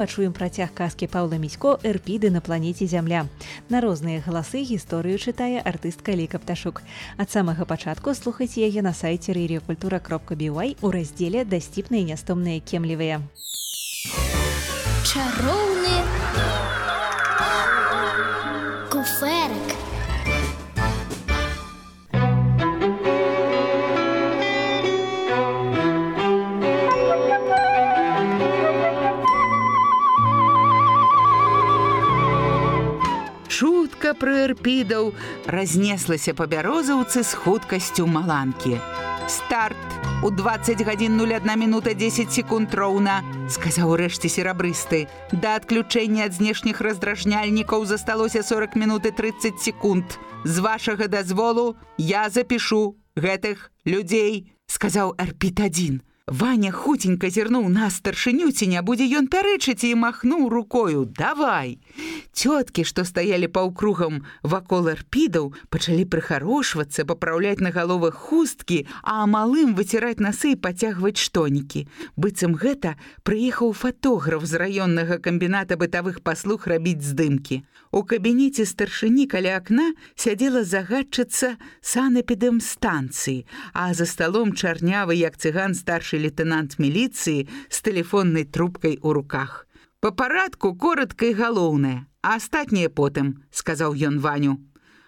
Пачуем працяг казкі Паўла Місько «Эрпіды на планеце Зямля». На розныя галасы гісторыю чытае артыстка Лейка Пташук. Ад самага пачатку слухайце яе на сайце radiokultura.by у раздзеле «Дасціпныя і нястомныя кемлівыя». Чароўны куферак. Чутка пра эрпідаў разнеслася па бярозаўцы з хуткасцю маланкі. «Старт! У 20 гадзін 01 мінута 10 секунд роўна», сказаў урэшце серабрысты. «Да адключэння ад знешніх раздражняльнікаў засталося 40 мінут і 30 секунд. З вашага дазволу я запішу гэтых людзей», сказаў Эрпід-1. Ваня хутенька зірнуў на старшыню, ці не будзе ён пярэчыць, і махнуў рукою: «Давай!» Цёткі, што стаялі паўкругам вакол эрпідаў, пачалі прыхарошвацца, папраўляць на галовах хусткі, а малым выціраць насы і пацягваць штонікі. Быццам гэта прыехаў фатограф з раённага камбіната бытавых паслуг рабіць здымкі. У кабінеце старшыні каля акна сядзела загадчыца санэпідэмстанцыі, а за сталом чарнявы, як цыган, старшы лейтенант міліцыі з тэлефоннай трубкай у руках. «Па парадку коратка і галоўнае, а астатняе потым», сказаў ён Ваню.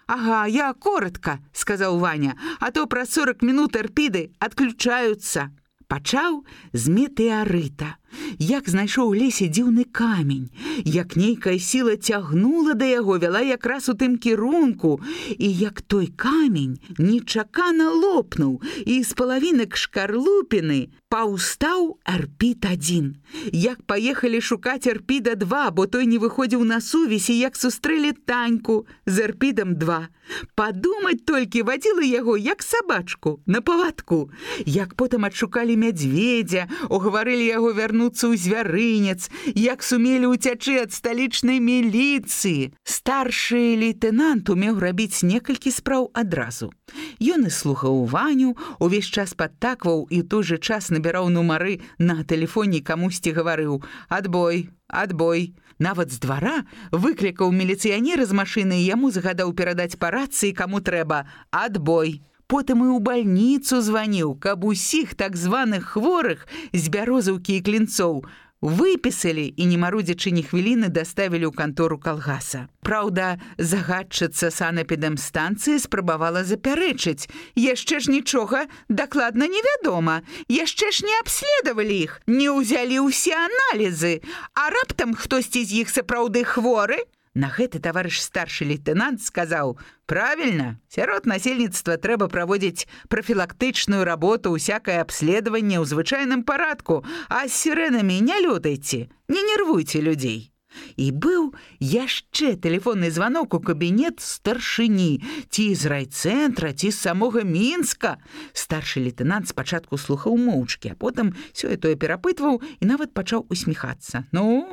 «Ага, я коратка», сказаў Ваня, «а то праз 40 мінут эрпіды адключаюцца». Пачаў з метэарыта. Як знайшоў у лесе дзіўны камень, як нейкая сіла цягнула да яго, вяла якраз у тым кірунку, і як той камень нечакана лопнуў, і з палавінак шкарлупіны паўстаў Эрпід-1. Як паехалі шукаць Эрпіда-2, бо той не выходзіў на сувязь, і як сустрэлі Таньку з Эрпідам-2. Падумаць толькі, вадзіла яго, як сабачку, на павадку. Як потым адшукалі мядзведзя, угаварылі яго вярнуцца ў звярынец, як сумелі ўцячы ад сталічнай міліцыі. Старшы лейтэнант умеў рабіць некалькі спраў адразу. Ён і слухаў Ваню, увесь час падтакваў і ў той жа час набіраў нумары на тэлефоне, камусьці гаварыў: «Адбой, адбой». Нават з двара выклікаў міліцыянера з машыны і яму загадаў перадаць па рацыі, каму трэба: «Адбой». Потым і ў бальніцу званіў, каб усіх так званых хворых з Бярозаўкі і Клінцоў выпісалі і, не марудзячы ні хвіліны, даставілі ў кантору калгаса. Праўда, загадчыца санэпідэмстанцыі спрабавала запярэчыць: «Яшчэ ж нічога дакладна невядома, яшчэ ж не абследавалі іх, не ўзялі ўсе аналізы, а раптам хтосьці з іх сапраўды хворы?» На гэта таварыш старшы лейтэнант сказаў: «Правільна, сярод насельніцтва трэба праводзіць прафілактычную работу, усякае абследаванне ў звычайным парадку, а з сірэнамі не лётайце, не нервуйце людзей». І быў яшчэ тэлефонны званок у кабінет старшыні, ці з райцэнтра, ці з самога Мінска. Старшы лейтэнант спачатку слухаў моўчкі, а потым сёе-тое перапытваў і нават пачаў усміхацца. «Ну,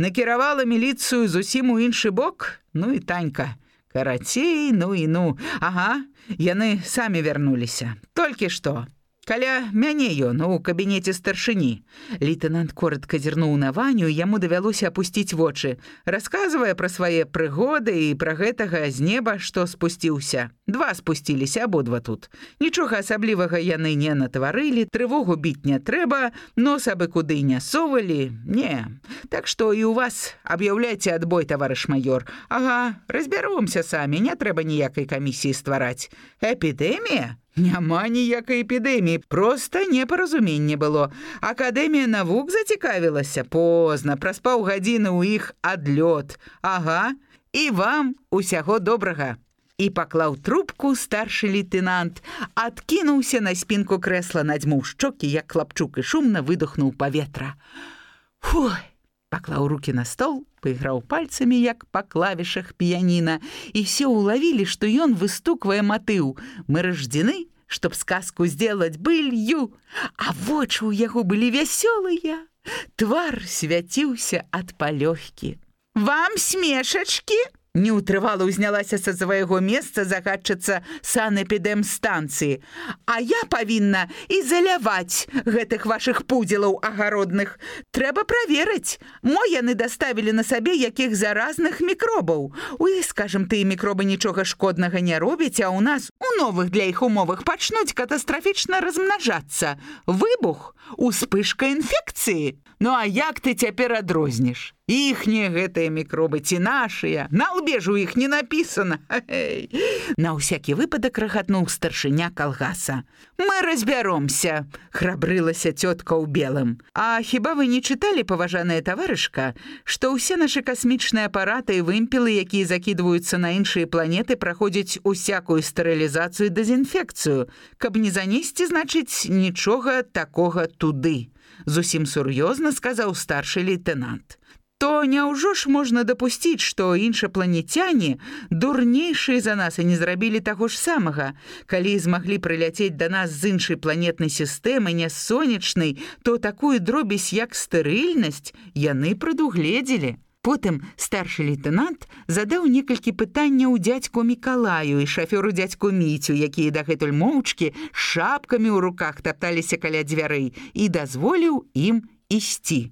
накіравала міліцыю зусім у іншы бок? Ну і Танька. Карацей, ну і ну. Ага, яны самі вярнуліся. Толькі што. Каля мяне ён у кабінеце старшыні». Лейтэнант коратка зірнуў на Ваню, і яму давялося апусціць вочы, расказвае пра свае прыгоды і пра гэтага з неба, што спусціўся. 2 спусціліся, абодва тут. Нічога асаблівага яны не натварылі, трывогу біць не трэба, нос абы куды не совалі. Не. Так што і у вас аб'яўляйце адбой, таварыш майор. Ага, разбяромся самі, не трэба ніякай камісіі ствараць. Эпідэмія? Няма ніякай эпідэміі, проста непаразуменне было. Акадэмія навук зацікавілася. Позна, праз паўгадзіны ў іх адлёт. Ага, і вам усяго добрага». І паклаў трубку старшы лейтэнант, адкінуўся на спінку крэсла, надзьмуў шчокі, як хлапчук, і шумна выдохнуў паветра. Фуй! Паклаў рукі на стол, пайграў пальцамі, як па клавішах піяніна, і все улавілі, што ён выстуквае матыў: «Мы рождены, чтоб сказку сделать былью». А вочы ў яго былі вясёлыя, твар свяціўся ад палёгкі. «Вам смешачкі?» Неўтрывала ўзнялася са свайго месца загадчыца санэпідэмстанцыі. А я павінна ізаляваць гэтых вашых пудзелаў агародных. Трэба праверыць, мо яны даставілі на сабе якіх заразных мікробаў. У іх, скажам, тыя мікробы нічога шкоднага не робяць, а ў нас у новых для іх умовах пачнуць катастрафічна размнажацца. Выбух, успышка інфекцыі. Ну а як ты цяпер адрозніш? Іхнія гэтыя мікробы ці нашыя? На лбе ж у іх не напісана. На ўсякі выпадак рагатнуў старшыня калгаса. Мы разбяромся, храбрылася цётка ў белым. А хіба вы не чыталі, паважаная таварышка, што ўсе нашы касмічныя апараты і вымпелы, якія закідваюцца на іншыя планеты, праходзяць усякую стэрылізацыю і дэзінфекцыю, каб не занесці, значыць, нічога такога туды. Зусім сур'ёзна сказаў старшы лейтенант. То няўжо ж можна дапусціць, што іншапланецяне дурнейшыя за нас і не зрабілі таго ж самага. Калі змаглі прыляцець да нас з іншай планетнай сістэмы, не сонечнай, то такую дробязь, як стэрыльнасць, яны прадугледзелі. Потым старшы лейтенант задаў некалькі пытанняў дзядзьку Мікалаю і шафёру дзядзьку Міцю, якія дагэтуль моўчкі з шапкамі ў руках тапталіся каля дзвярэй, і дазволіў ім ісці.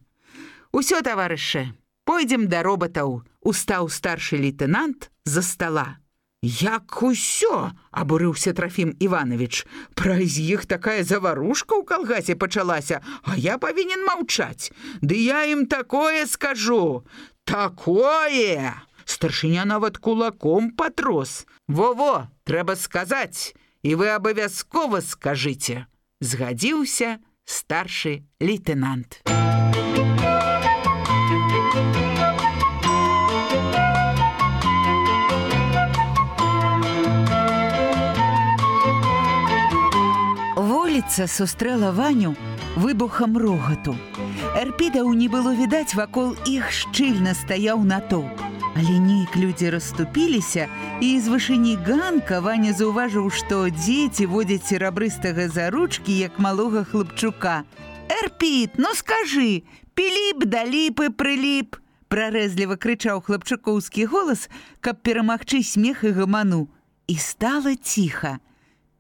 «Усё, таварышы, пойдзем да роботаў», — устаў старшы лейтенант з-за стала. «Як усё?» — абурыўся Трафім Іванович. «Праз іх такая заварушка ў калгасе пачалася, а я павінен маўчаць. Ды я ім такое скажу. Такое!» Старшыня нават кулаком патрос. «Во-во, трэба сказаць, і вы абавязкова скажыце», — згадзіўся старшы лейтенант. Вуліца сустрэла Ваню выбухам рогату. Эрпідаў не было відаць, вакол іх шчыльна стаяў натоўп. Але нейк людзі расступіліся, і з вышыні ганка Ваня заўважыў, што дзеці водзяць серабрыстага за ручкі, як малога хлапчука. «Эрпід, ну скажы, Піліп да ліпы прыліп!» прарэзліва крычаў хлапчукоўскі голас, каб перамагчы смех і гаману. І стала ціха.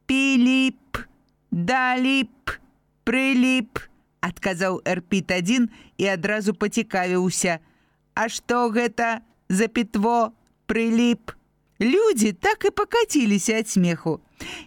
«Піліп да ліп прыліп!» адказаў Эрпід адзін і адразу пацікавіўся. «А што гэта за пітво прыліп?» Людзі так і пакаціліся ад смеху.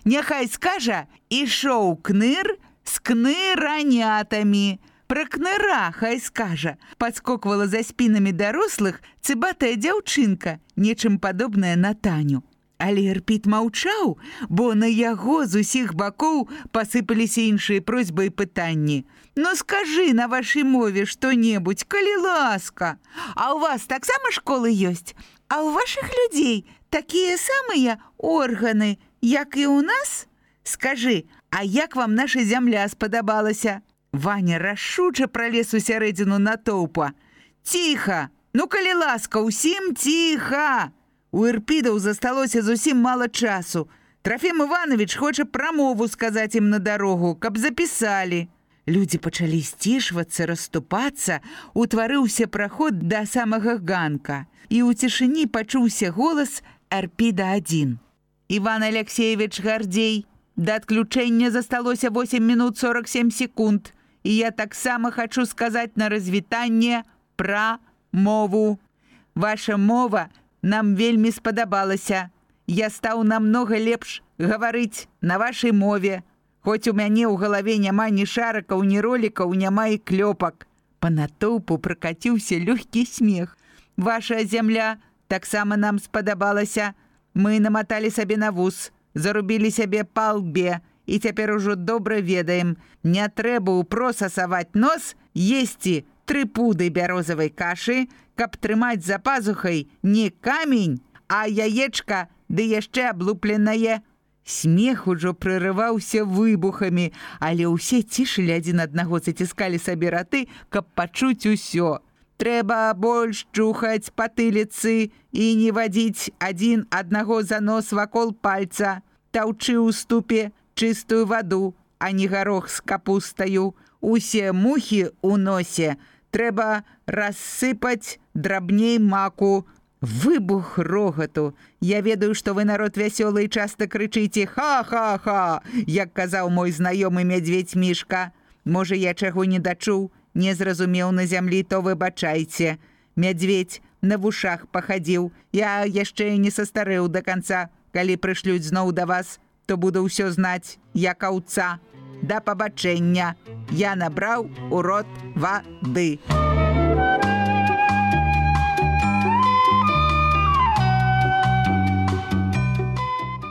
«Няхай скажа, ішоў кныр з кныранятамі». «Пра кныра хай скажа», падскоквала за спінамі дарослых цыбатая дзяўчынка, нечым падобная на Таню. Але Эрпід маўчаў, бо на яго з усіх бакоў пасыпаліся іншыя просьбы і пытанні. «Ну скажы на вашай мове што-небудзь, калі ласка. А ў вас таксама школы ёсць? А ў вашых людзей такія самыя органы, як і ў нас? Скажы, а як вам наша зямля спадабалася?» Ваня рашуча пралез у сярэдзіну натоўпа. «Ціха! Ну, калі ласка, усім ціха!» У Эрпідаў засталося зусім мала часу. Трафім Іванович хоча прамову сказаць ім на дарогу, каб запісалі. Людзі пачалі сцішвацца, расступацца, утварыўся праход да самага ганка. І ў цішыні пачуўся голас Эрпіда адзін. «Іван Алексеевич Гардзей, да адключэння засталося 8 минут 47 секунд. І я таксама хачу сказаць на развітанне пра мову. Ваша мова нам вельмі спадабалася. Я стаў намнога лепш гаварыць на вашай мове. Хоць у мяне ў галаве няма ні шарыкаў, ні ролікаў, няма і клёпак». Па натоўпу пракаціўся лёгкі смех. «Ваша зямля таксама нам спадабалася. Мы наматалі сабе на вус, зарубілі сябе па лбе, і цяпер ужо добра ведаем. Не трэба ўпрос асаваць нос, есці 3 пуды бярозавай кашы, каб трымаць за пазухай не камень, а яечка ды яшчэ аблупленае». Смех ужо прерываўся выбухамі, але ўсе цішылі адзін аднаго, заціскалі сабе раты, каб пачуць усё. «Трэба больш чухаць патыліцы і не вадзіць адзін аднаго за нос вакол пальца. Таўчы ў ступе чыстую ваду, а не гарох з капустаю. Усе мухі ў носе трэба рассыпаць драбней маку. Выбух рогату. Я ведаю, што вы народ вясёлы і часта крычыце «Ха-ха-ха», як казаў мой знаёмы мядзведь Мішка. Можа, я чаго не дачуў, не зразумеў на зямлі, то выбачайце. Мядзведь на вушах пахадзіў. Я яшчэ не састарэў да канца. Калі прышлюць зноў да вас, то буду ўсё знаць, як аўца. Да пабачэння. Я набраў у рот вады.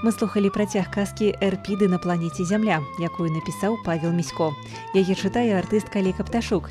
Мы слухали працяг казкі «Эрпіды на планеце Зямля», якую напісаў Павел Місько. Яе чытае артыстка Ліка Пташук.